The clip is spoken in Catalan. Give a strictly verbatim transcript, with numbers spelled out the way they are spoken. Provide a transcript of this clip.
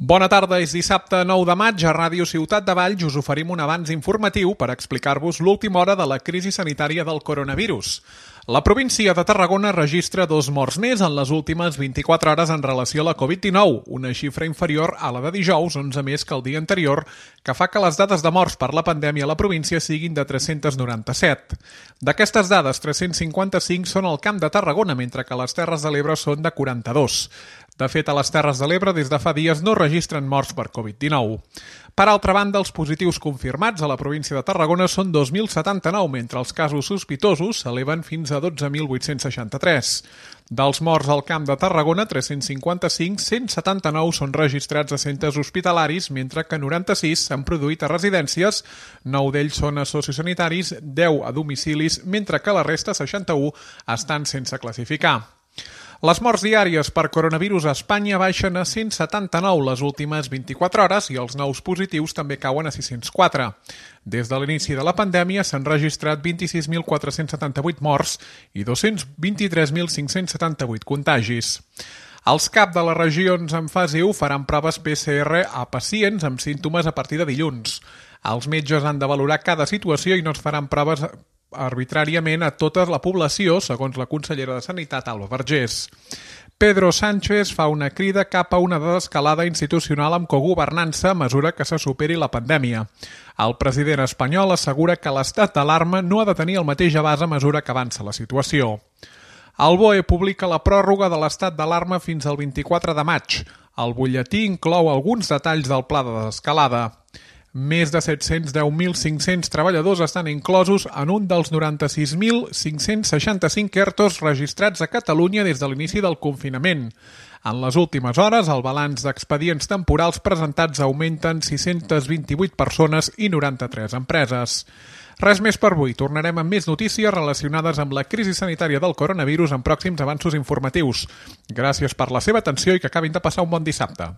Bona tarda, és dissabte nou de maig. A Ràdio Ciutat de Valls us oferim un avanç informatiu per explicar-vos l'última hora de la crisi sanitària del coronavirus. La província de Tarragona registra dos morts més en les últimes vint-i-quatre hores en relació a la covid dinou, una xifra inferior a la de dijous, onze més que el dia anterior, que fa que les dades de morts per la pandèmia a la província siguin de tres-cents noranta-set. D'aquestes dades, tres-cents cinquanta-cinc són al Camp de Tarragona, mentre que les Terres de l'Ebre són de quaranta-dos. De fet, a les Terres de l'Ebre des de fa dies no registren morts per covid dinou. Per altra banda, els positius confirmats a la província de Tarragona són dos mil setanta-nou, mentre els casos sospitosos s'eleven fins a dotze mil vuit-cents seixanta-tres. Dels morts al Camp de Tarragona, tres-cents cinquanta-cinc, cent setanta-nou són registrats a centres hospitalaris, mentre que noranta-sis s'han produït a residències, nou d'ells són a sociosanitaris, deu a domicilis, mentre que la resta, seixanta-u, estan sense classificar. Les morts diàries per coronavirus a Espanya baixen a cent setanta-nou les últimes vint-i-quatre hores i els nous positius també cauen a sis-cents quatre. Des de l'inici de la pandèmia s'han registrat vint-i-sis mil quatre-cents setanta-vuit morts i dos-cents vint-i-tres mil cinc-cents setanta-vuit contagis. Els cap de les regions en fase u faran proves P C R a pacients amb símptomes a partir de dilluns. Els metges han de valorar cada situació i no es faran proves arbitràriament a tota la població, segons la consellera de Sanitat, Alba Vergés. Pedro Sánchez fa una crida cap a una desescalada institucional amb cogovernança a mesura que se superi la pandèmia. El president espanyol assegura que l'estat d'alarma no ha de tenir el mateix abast a mesura que avança la situació. El B O E publica la pròrroga de l'estat d'alarma fins al vint-i-quatre de maig. El butlletí inclou alguns detalls del pla de desescalada. Més de set-cents deu mil cinc-cents treballadors estan inclosos en un dels noranta-sis mil cinc-cents seixanta-cinc ERTOs registrats a Catalunya des de l'inici del confinament. En les últimes hores, el balanç d'expedients temporals presentats augmenten sis-cents vint-i-vuit persones i noranta-tres empreses. Res més per avui. Tornarem amb més notícies relacionades amb la crisi sanitària del coronavirus en pròxims avanços informatius. Gràcies per la seva atenció i que acabin de passar un bon dissabte.